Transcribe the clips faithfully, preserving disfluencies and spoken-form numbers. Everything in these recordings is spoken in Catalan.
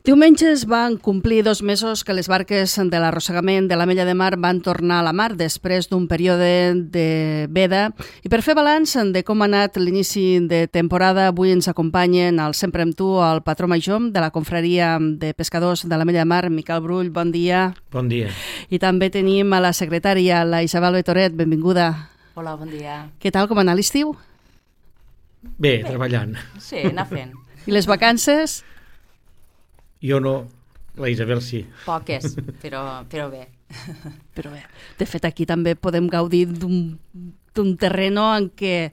Diumenge es van complir dos mesos que les barques de l'arrossegament de l'Ametlla de Mar van tornar a la mar després d'un període de veda. I per fer balanç de com ha anat l'inici de temporada, avui ens acompanyen al Sempre amb tu el patró major de la confraria de pescadors de l'Ametlla de Mar, Miquel Brull, bon dia. Bon dia. I també tenim a la secretària, la Isabel Betoret, benvinguda. Hola, bon dia. Què tal, com ha anat l'estiu? Bé, Bé, treballant. Sí, anar fent. I les vacances? Jo no, la Isabel sí. Poques, però, però bé. Però bé, de fet aquí també podem gaudir d'un terreno en què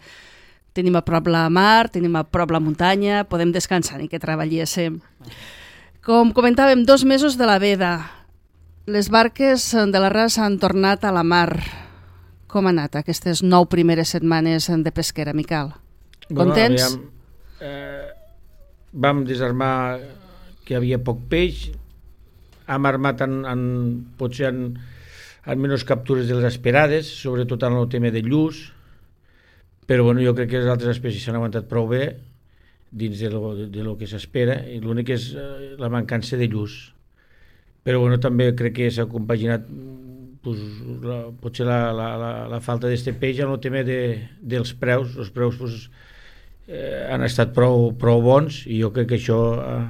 tenim a prop la mar, tenim a prop la muntanya, podem descansar i que treballéssim. Com comentàvem, dos mesos de la veda. Les barques de la Ras han tornat a la mar. Com han anat aquestes nou primeres setmanes de pesquera, Miquel? Contents? Bueno, aviam, eh, vam desarmar que hi havia poc peix, hem armat en, en, potser en, en menys captures de les esperades, sobretot en el tema de lluç, però bueno, jo crec que les altres espècies s'han aguantat prou bé dins de lo, de, de lo que s'espera, i l'únic és eh, la mancança de lluç. Però bueno, també crec que s'ha compaginat pues, la, potser la, la, la, la falta d'este peix en el tema de, dels preus. Els preus pues, eh, han estat prou, prou bons, i jo crec que això eh,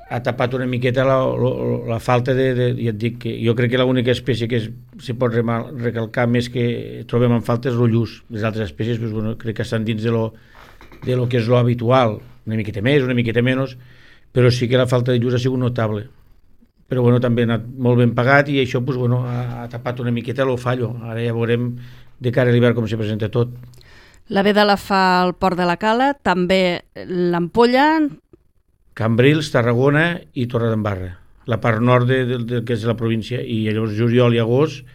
ha tapat una miqueta la, la, la falta de, de, ja et dic que jo crec que l'única espècie que es, se pot remal, recalcar més que trobem en falta és el lluç. Les altres espècies pues, bueno, crec que estan dins de lo, de lo que és lo habitual, una miqueta més, una miqueta menys, però sí que la falta de lluç ha sigut notable. Però bueno, també ha anat molt ben pagat, i això pues, bueno, ha, ha tapat una miqueta el fallo. Ara ja veurem de cara a l'hivern com se presenta tot. La veda la fa al Port de la Cala, també l'Ampolla, Cambrils, Tarragona i Torredembarra, la part nord de, de, de, que és la província, i llavors juliol i agost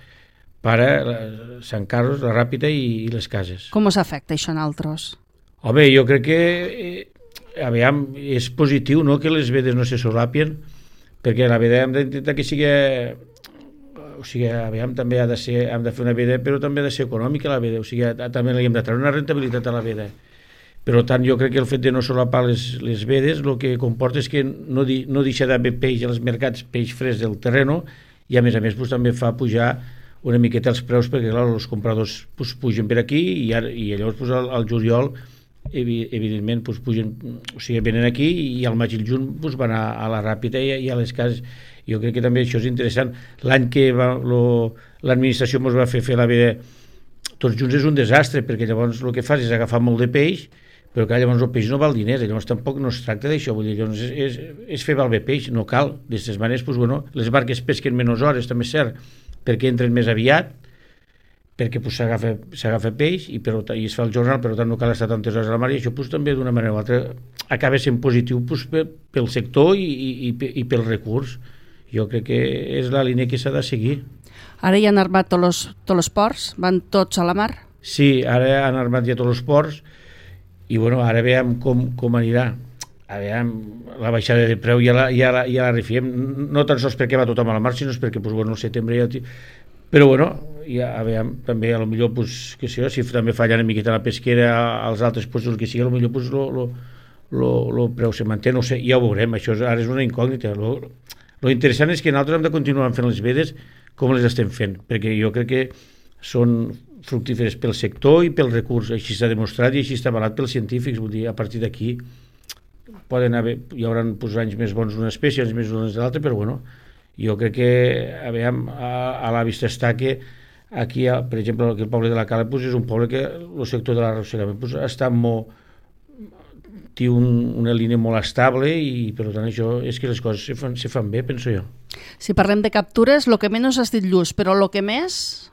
para la, Sant Carlos, la Ràpita i, i les Cases. Com us afecta això en altres? Home, jo crec que eh, aviam, és positiu, no?, que les vedes no se solapien, perquè la veda hem d'intentar que sigui, o sigui, aviam, també ha de ser, hem de fer una veda, però també ha de ser econòmica la veda, o sigui, a, també li hem de treure una rentabilitat a la veda. Per tant, jo crec que el fet de no solapar les, les vedes el que comporta és que no, di, no deixa d'haver peix als mercats, peix fresc del terreno, i a més a més pues, també fa pujar una miqueta els preus, perquè clar, els compradors pues, pugen per aquí, i, ara, i llavors pues, al, al juliol evidentment pues, pugen, o sigui, venen aquí, i al maig i el juny pues, van a, a la Ràpita i, i a les Cases. Jo crec que també això és interessant. L'any que l'administració ens va fer fer la veda tots junts és un desastre, perquè llavors el que fas és agafar molt de peix, però que llavors el peix no val diners, llavors tampoc no es tracta d'això, vull dir, llavors és, és, és fer val bé peix, no cal. D'aquestes maneres, doncs, bueno, les barques pesquen menys hores, també és cert, perquè entren més aviat, perquè doncs, s'agafa s'agafa peix i, per, i es fa el jornal, per tant no cal estar tantes hores a la mar, i això doncs, també d'una manera o altra acaba sent positiu doncs, pel sector i, i, i pel recurs. Jo crec que és la línia que s'ha de seguir. Ara ja han armat tots els, tots els ports? Van tots a la mar? Sí, ara han armat ja tots els ports, i bueno, ara veiem com, com anirà. A veure, la baixada de preu ja la, ja la, ja la refiem, no tan sols perquè va tothom a la mar, sinó perquè pues, bueno, el setembre ja... Però bueno, ja, a veure, també a lo millor, pues, que sé, si també falla una miqueta la pesquera als altres puestos que sigui, a lo millor pues, lo, lo, lo, lo preu se manté, no sé, ja ho veurem, això és, ara és una incògnita. Lo, lo interessant és que nosaltres hem de continuar fent les vedes com les estem fent, perquè jo crec que són fructíferes pel sector i pel recurs, així s'ha demostrat i així està avalat pels científics, vull dir, a partir d'aquí poden haver, hi haurà pues, anys més bons d'una espècie, anys més bons de l'altra, però bueno, jo crec que a, veure, a, a la vista està que aquí, per exemple, el poble de la Cala pues, és un poble que el sector de l'arrossegament pues, està molt, té un, una línia molt estable, i per tant això és que les coses se fan, se fan bé, penso jo. Si parlem de captures, el que menys has dit lluç, però el que més...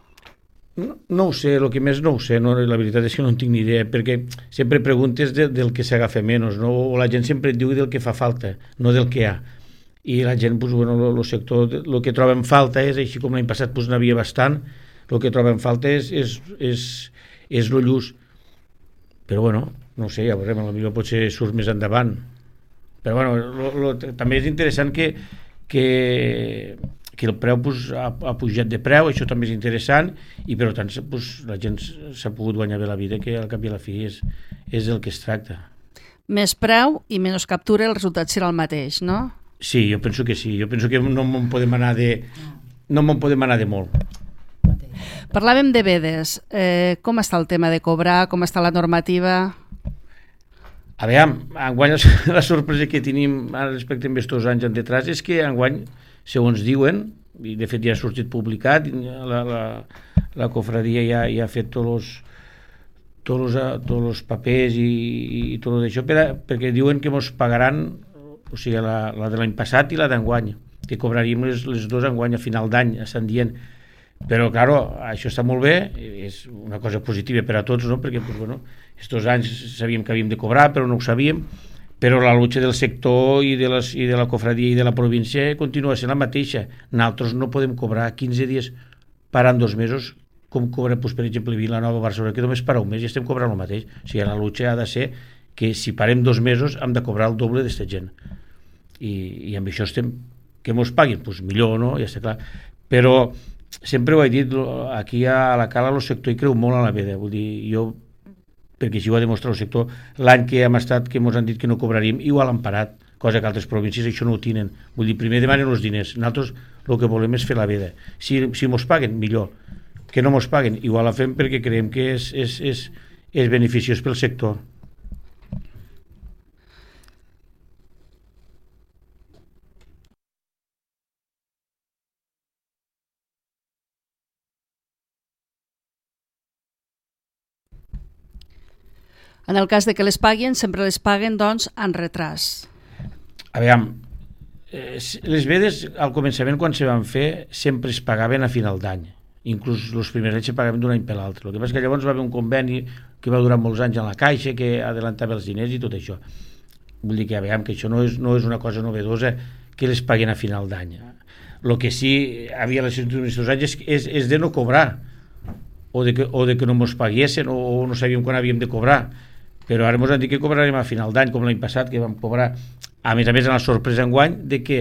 No, no ho sé, el que més no ho sé, no? La veritat és que no en tinc ni idea, perquè sempre preguntes de, del que s'agafa menys, no? O la gent sempre et diu del que fa falta, no del que hi ha. I la gent, pues, bueno, el sector, el que troba en falta és, així com l'any passat pues, n'havia bastant, el que troba en falta és, és, és, és el lluç. Però bueno, no ho sé, ja veurem, potser potser surt més endavant. Però bueno, lo, lo, també és interessant que, que que el preu pues, ha, ha pujat de preu, això també és interessant, i per tant pues, la gent s'ha pogut guanyar bé la vida, que al cap i a la fi és, és el que es tracta. Més preu i menys captura, el resultat serà el mateix, no? Sí, jo penso que sí. Jo penso que no en podem anar de... no en podem anar de molt. Parlàvem de vedes. Eh, com està el tema de cobrar? Com està la normativa? A veure, enguany la sorpresa que tenim respecte a aquests anys endetrás és que enguany, segons diuen, i de fet ja ha sortit publicat, la, la, la cofradia ja, ja ha fet tots els tots els, tots els papers i, i tot això per a, perquè diuen que ens pagaran, o sigui, la, la de l'any passat i la d'enguany, que cobraríem les, les dues enguany a final d'any, estan dient. Però, claro, això està molt bé, és una cosa positiva per a tots, no? Perquè, pues, bueno, estos anys sabíem que havíem de cobrar, però no ho sabíem, però la lucha del sector i de, les, i de la cofradia i de la província continua sent la mateixa. Nosaltres no podem cobrar quinze dies parant dos mesos, com cobra, pues, per exemple, Vilanova, Barcelona, que només para un mes i estem cobrant el mateix. O sigui, la lucha ha de ser que si parem dos mesos hem de cobrar el doble d'esta gent. I, i amb això estem... Que mos paguin? Pues millor, no? Ja està clar. Però sempre ho he dit, aquí a la Cala el sector hi creu molt a la veda, vull dir, jo, perquè així ho ha demostrat el sector, l'any que hem estat, que ens han dit que no cobraríem, igual han parat, cosa que altres províncies això no ho tenen, vull dir, primer demanen els diners, nosaltres el que volem és fer la veda, si, si mos paguen, millor, que no mos paguen, igual la fem perquè creiem que és, és, és, és beneficiós pel sector. En el cas de que les paguen, sempre les paguen, doncs, en retras. A veure, eh, les vedes al començament, quan se van fer, sempre es pagaven a final d'any. Inclús els primers anys se pagaven d'un any per l'altre. El que passa és que llavors va haver un conveni que va durar molts anys a la Caixa, que adelantava els diners i tot això. Vull dir que, a veure, que això no és, no és una cosa novedosa que les paguen a final d'any. El que sí havia les últims anys és, és, és de no cobrar, o de que, o de que no ens paguessin, o, o no sabíem quan havíem de cobrar. Però ara ens han dit que cobrarem a final d'any, com l'any passat, que vam cobrar, a més a més, en la sorpresa enguany, de que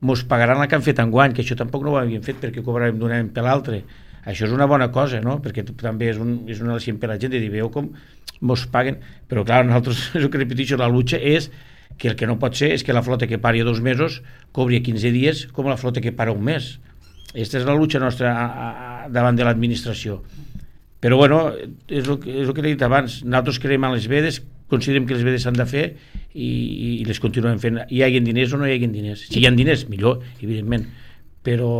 ens pagaran la que han fet enguany, que això tampoc no ho havíem fet perquè cobrarem d'un any per l'altre. Això és una bona cosa, no? Perquè també és un, és un al·licient per la gent de dir, veu com ens paguen. Però, clar, nosaltres, el que repeteixo, la lucha és que el que no pot ser és que la flota que pari a dos mesos cobri a quinze dies com la flota que para un mes. Aquesta és la lucha nostra a, a, a, davant de l'administració. Però, bueno, és el, és el que he dit abans, nosaltres creiem en les vedes, considerem que les vedes s'han de fer i, i les continuem fent. Hi hagin diners o no hi hagin diners. Si hi ha diners, millor, evidentment, però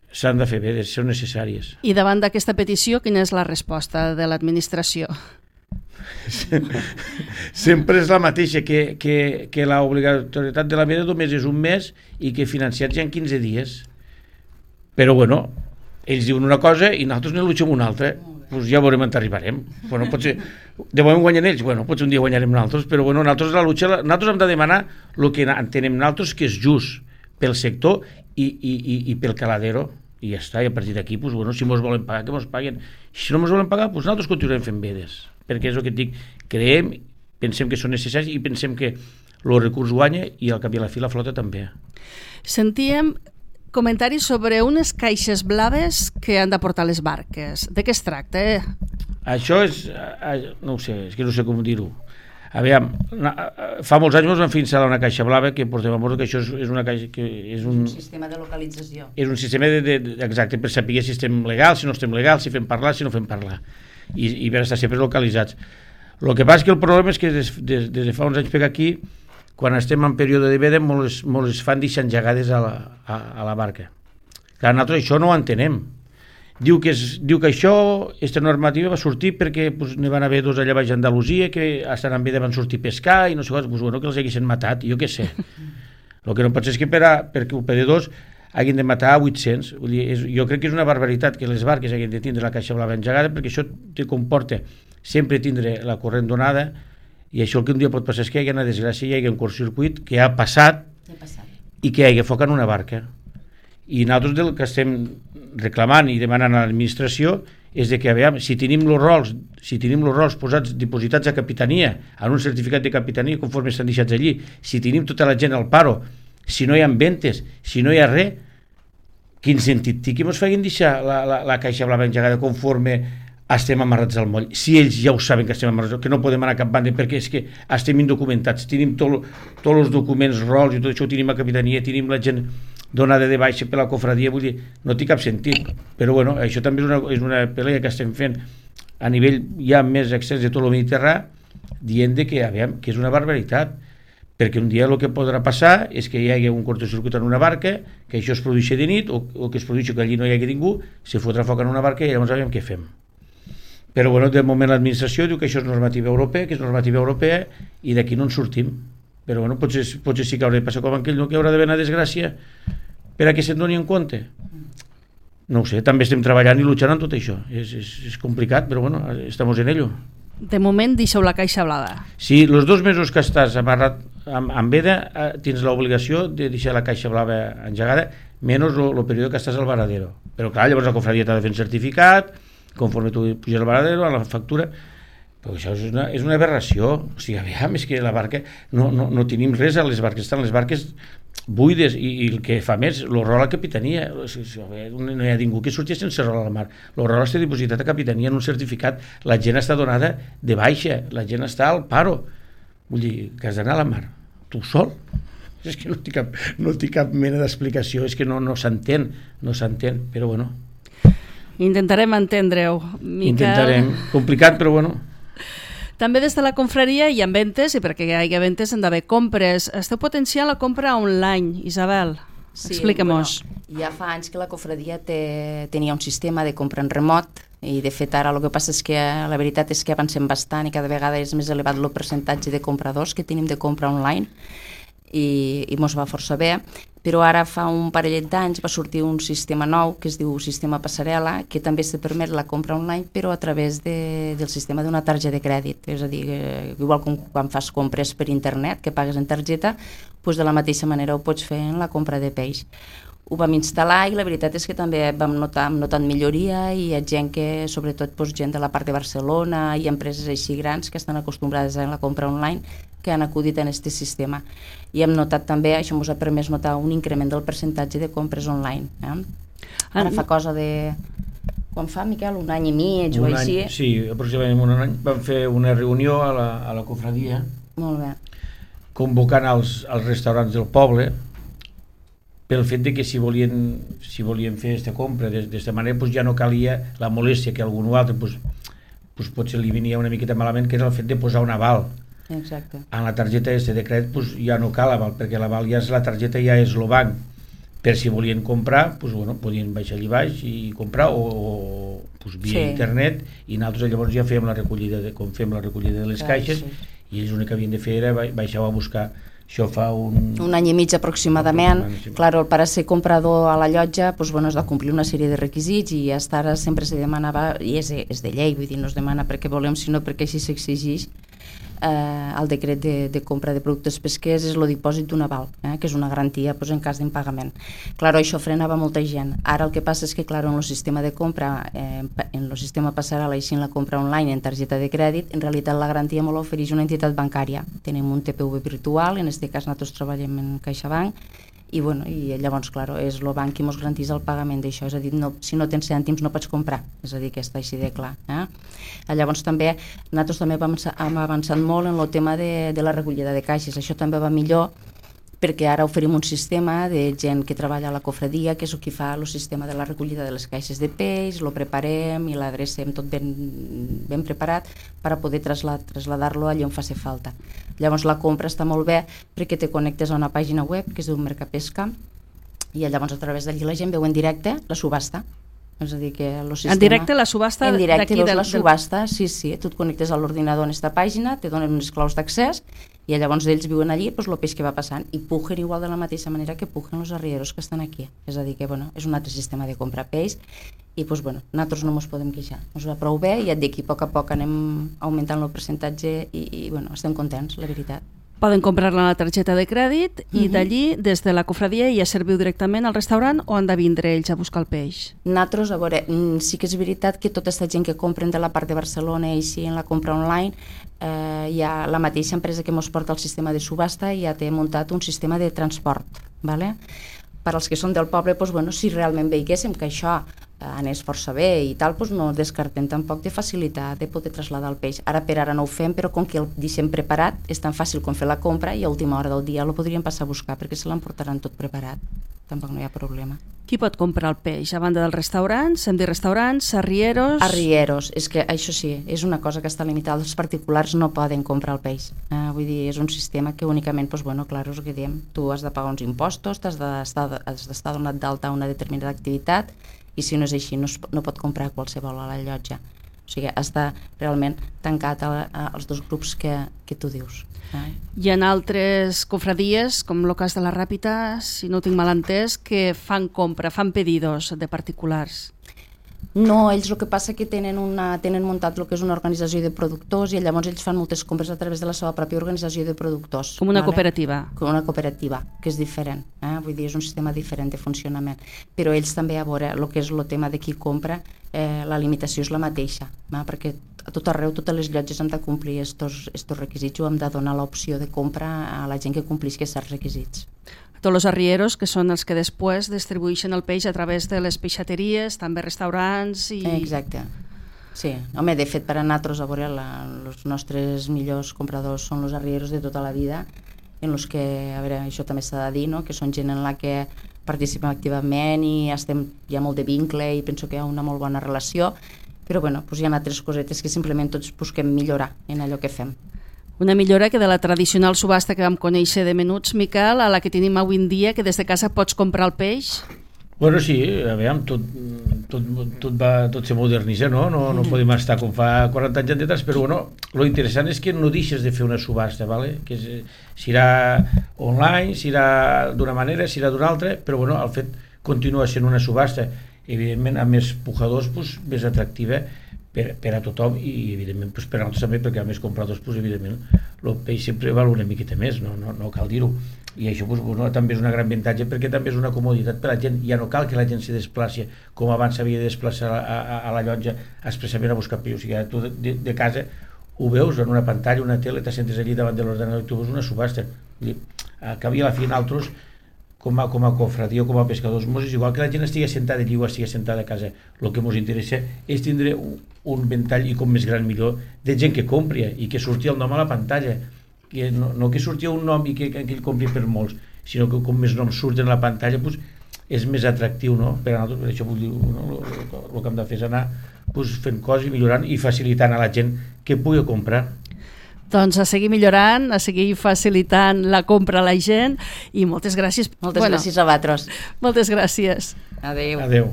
s'han de fer vedes, són necessàries. I davant d'aquesta petició, quina és la resposta de l'administració? Sempre és la mateixa, que, que, que l'obligatorietat de la veda només és un mes i que financiats hi ha quinze dies. Però, bueno, ells diuen una cosa i nosaltres ne luixem una altra. Pues ja veurem on arribarem. Bueno, potser, de moment guanyen ells, bueno, potser un dia guanyarem nosaltres, però bueno, nosaltres la lucha, nosaltres hem de demanar el que entenem nosaltres que és just pel sector i, i, i, i pel caladero, i ja està, i a partir d'aquí, pues, bueno, si mos volen pagar, que mos paguen. Si no mos volen pagar, pues nosaltres continuarem fent vedes, perquè és el que et dic, creiem, pensem que són necessaris i pensem que el recurs guanya i al cap i a la fi la flota també. Sentíem comentaris sobre unes caixes blaves que han de portar les barques. De què es tracta? Eh? Això és... no ho sé, és que no sé com dir-ho. A veure, fa molts anys ens van fer instal·lar una caixa blava que portem a mort, que això és, és una caixa que és un... un sistema de localització. És un sistema de, de, de, exacte, per saber si estem legals, si no estem legals, si fem parlar, si no fem parlar. I, i per estar sempre localitzats. El que passa és que el problema és que des, des, des de fa uns anys per aquí, quan estem en període de veda, molts es fan deixar engegades a la, a, a la barca. Clar, nosaltres això no ho entenem. Diu que, és, diu que això, aquesta normativa va sortir perquè pues, n'hi van haver dos allà baix a Andalusia que estan en veda van sortir a pescar i no sé què, pues, bueno, que els haguessin matat, jo què sé. El que no pot ser és que per a, perquè per a dos hagin de matar a vuit-cents. Vull dir, és, jo crec que és una barbaritat que les barques hagin de tindre la caixa blava engegada, perquè això te comporta sempre tindre la corrent donada. I això el que un dia pot passar és que hi ha una desgràcia, hi ha un curtcircuit que ha passat, ha passat i que hi ha foc en una barca. I nosaltres del que estem reclamant i demanant a l'administració és de que, a veure, si tenim els rols, si tenim els rols posats, dipositats a capitania, en un certificat de capitania conforme estan deixats allí, si tenim tota la gent al paro, si no hi ha ventes, si no hi ha res, quin sentit té que ens facin deixar la, la, la caixa blava engegada conforme estem amarrats al moll. Si ells ja ho saben que estem amarrats, que no podem anar a cap banda, perquè és que estem indocumentats, tenim tots els documents, rols i tot això, ho tenim a capitania, tenim la gent donada de baixa per la cofradia, vull dir, no té cap sentit. Però bueno, això també és una, és una pelea que estem fent a nivell ja més extens de tot el Mediterrani, dient de que, aviam, que és una barbaritat, perquè un dia el que podrà passar és que hi hagi un cortocircuit en una barca, que això es produeixi de nit, o, o que es produeixi que allí no hi hagi ningú, se fotrà foc en una barca i llavors aviam què fem. Però bueno, de moment l'administració diu que això és normativa europea, que és normativa europea, i d'aquí no en sortim. Però bueno, potser, potser sí que haurà de passar com aquell, no, que haurà d'haver una desgràcia per a que se'n doni en compte. No ho sé, també estem treballant i luchant en tot això. És, és, és complicat, però bueno, estamos en ello. De moment deixeu la caixa blava. Sí, els dos mesos que estàs amarrat amb, amb veda, eh, tens l'obligació de deixar la caixa blava engegada, menys el període que estàs al varadero. Però clar, llavors la cofradia t'ha de fer un certificat, conforme tu puges al varadero, a la factura, però això és una, és una aberració. O sigui, aviam, és que la barca, no, no, no tenim res a les barques, estan les barques buides, i, i el que fa més, el rol a la capitania, o sigui, no hi ha ningú que surti sense rol a la mar, el rol està dipositat a capitania en un certificat, la gent està donada de baixa, la gent està al paro, vull dir, que has d'anar a la mar tu sol, és que no té cap, no té cap mena d'explicació, és que no, no s'entén, no s'entén, però bueno, intentarem entendre-ho, Miquel. Intentarem, complicat però bueno. També des de la confraria hi ha ventes, i perquè hi hagi ventes han d'haver compres. Esteu potenciant la compra online, Isabel. Sí, explica-mos. Bueno, ja fa anys que la cofradia té, tenia un sistema de compra en remot, i de fet ara el que passa és que la veritat és que avancem bastant i cada vegada és més elevat el percentatge de compradors que tenim de compra online, i, i mos va força bé, però ara fa un parellet d'anys va sortir un sistema nou que es diu sistema passarel·la, que també se permet la compra online però a través de, del sistema d'una targeta de crèdit, és a dir, eh, igual com quan fas compres per internet que pagues en targeta, doncs de la mateixa manera ho pots fer en la compra de peix. Ho vam instal·lar i la veritat és que també vam notar, hem notat milloria, i hi ha gent que, sobretot doncs, gent de la part de Barcelona i empreses així grans que estan acostumbrades a la compra online, que han acudit en aquest sistema. I hem notat també, això ens ha permès notar un increment del percentatge de compres online. Eh? Ara fa cosa de... Quan fa, Miquel? Un any i mig o un així? Any, sí, aproximadament un any. Vam fer una reunió a la, a la cofradia, molt bé, convocant els, els restaurants del poble, pel fet de que si volien, si volien fer aquesta compra d'aquesta manera, doncs ja no calia la molèstia que algun altre doncs, doncs potser li venia una miqueta malament, que era el fet de posar un aval. exacte. En la targeta este de crèdit doncs, ja no cal aval, perquè l'aval ja és la targeta, ja és el banc, per si volien comprar, doncs, bueno, podien baixar allà baix i comprar, o, o doncs, via sí. internet, i nosaltres llavors ja fèiem la recollida de, com fem la recollida de les Clar, caixes, sí. i ells l'únic que havien de fer era baixar a buscar. Això fa un... Un any i mig aproximadament. Sí. Clar, per a ser comprador a la llotja doncs, bueno, has de complir una sèrie de requisits, i hasta ara sempre se demanava, i és, és de llei, vull dir, no es demana perquè volem, sinó perquè així s'exigeix. Eh, el decret de, de compra de productes pesquers és el dipòsit d'un aval, eh, que és una garantia doncs, en cas d'impagament. Claro, això frenava molta gent. Ara el que passa és que claro, en el sistema de compra, eh, en el sistema passarel·la, així en la compra online en targeta de crèdit, en realitat la garantia me l'ofereix una entitat bancària. Tenim un T P V virtual, en aquest cas nosaltres treballem en CaixaBank, i, bueno, i llavors, claro, és el banc qui ens garanteix el pagament d'això, és a dir, no, si no tens cèntims no pots comprar, és a dir, que està així de clar. Eh? Llavors també, nosaltres també hem avançat molt en el tema de, de la recollida de caixes, això també va millor, perquè ara oferim un sistema de gent que treballa a la cofradia, que és el que fa el sistema de la recollida de les caixes de peix, lo preparem i l'adrecem tot ben, ben preparat per a poder trasladar, trasladar-lo allà on faci falta. Llavors la compra està molt bé perquè te connectes a una pàgina web que es diu Mercapesca, i llavors a través d'allí la gent veu en directe la subhasta. És a dir, que el sistema... En directe la subhasta en directe d'aquí veus del... la subhasta, sí, sí, tu et connectes a l'ordinador en aquesta pàgina, te donen unes claus d'accés, i llavors ells viuen allí doncs, el peix que va passant, i pugen igual de la mateixa manera que pugen els arrieros que estan aquí. És a dir, que bueno, és un altre sistema de comprar peix, i doncs, bueno, nosaltres no ens podem queixar. Ens va prou bé, i et dic, i a poc a poc anem augmentant el percentatge, i, i bueno, estem contents, la veritat. Poden comprar-la a la targeta de crèdit, i Uh-huh. d'allí, des de la cofradia, ja serviu directament al restaurant, o han de vindre ells a buscar el peix? Nosaltres, a veure, sí que és veritat que tota aquesta gent que compren de la part de Barcelona i així en la compra online, eh, ja la mateixa empresa que ens porta el sistema de subhasta ja té muntat un sistema de transport, ¿vale? Per als que són del poble, doncs, bueno, si realment veiguéssim que això anés força bé i tal, doncs no descartem tampoc de facilitar de poder traslladar el peix. Ara per ara no ho fem, però com que el deixem preparat, és tan fàcil com fer la compra i a última hora del dia el podríem passar a buscar perquè se l'emportaran tot preparat. Tampoc no hi ha problema. Qui pot comprar el peix? A banda dels restaurants, hem dit restaurants, arrieros... Arrieros, és que això sí, és una cosa que està limitada, els particulars no poden comprar el peix. Eh, vull dir, és un sistema que únicament, doncs, bueno, clar, és el que diem, tu has de pagar uns impostos, has d'estar has d'estar donat d'alta a una determinada activitat i si no és així no, es, no pot comprar qualsevol a la llotja. O sigui, està realment tancat a, a, als dos grups que, que tu dius. Eh? Hi ha altres cofradies, com el cas de la Ràpita, si no ho tinc mal entès, que fan compra, fan pedidos de particulars. No, ells el que passa que tenen, una, tenen muntat el que és una organització de productors i llavors ells fan moltes compres a través de la seva pròpia organització de productors. Com una vale? cooperativa. Com una cooperativa, que és diferent. Eh? Vull dir, és un sistema diferent de funcionament. Però ells també, a veure, el que és el tema de qui compra, eh, la limitació és la mateixa, eh? Perquè a tot arreu, totes les llotges han de complir estos, estos requisits o hem de donar l'opció de compra a la gent que complisqui aquests requisits. Tots els arrieros, que són els que després distribueixen el peix a través de les peixateries, també restaurants i... Exacte. Sí, home, de fet, per a nosaltres, a veure, la, els nostres millors compradors són els arrieros de tota la vida, en els que, a veure, això també s'ha de dir, no?, que són gent en la que participem activament i estem, hi ha molt de vincle i penso que hi ha una molt bona relació, però bueno, doncs hi ha altres cosetes que simplement tots busquem millorar en allò que fem. Una millora que de la tradicional subhasta que vam conèixer de menuts, Miquel, a la que tenim avui en dia, que des de casa pots comprar el peix? Bueno, sí, a veure, tot, tot, tot, va, tot se modernitza, no? No, no podem estar com fa quaranta anys enrere, però bueno, lo interessant és que no deixes de fer una subhasta, ¿vale? Que és, serà online, serà d'una manera, serà d'una altra, però bueno, el fet continua sent una subhasta, evidentment amb més pujadors, pues, més atractiva per, per a tothom i evidentment pues, per a nosaltres també, perquè a més compradors pues, evidentment el peix sempre val una miqueta més, no, no, no cal dir-ho, i això pues, bueno, també és un gran avantatge perquè també és una comoditat per a la gent, ja no cal que la gent se desplaci com abans s'havia de desplaçar a, a, a la llotja expressament a buscar peix, o sigui, tu de, de, de casa ho veus en una pantalla, una tele, t'assentes allí davant de l'ordenador i tu veus una subhasta. Al cap i a la fi nosaltres com a, com a cofradia o com a pescadors, és igual que la gent estigui sentada allí o estigui sentada a casa, el que ens interessa és tindre un, un ventall i com més gran millor de gent que compri i que surti el nom a la pantalla, que no, no que surti un nom i que, que ell compri per molts, sinó que com més noms surten a la pantalla pues, és més atractiu, no? Per a nosaltres, per això vull dir, no? el, el que hem de fer és anar pues, fent coses i millorant i facilitant a la gent que pugui comprar. Doncs a seguir millorant, a seguir facilitant la compra a la gent i moltes gràcies. Moltes bueno, gràcies a vosaltres. Moltes gràcies. Adéu. Adéu.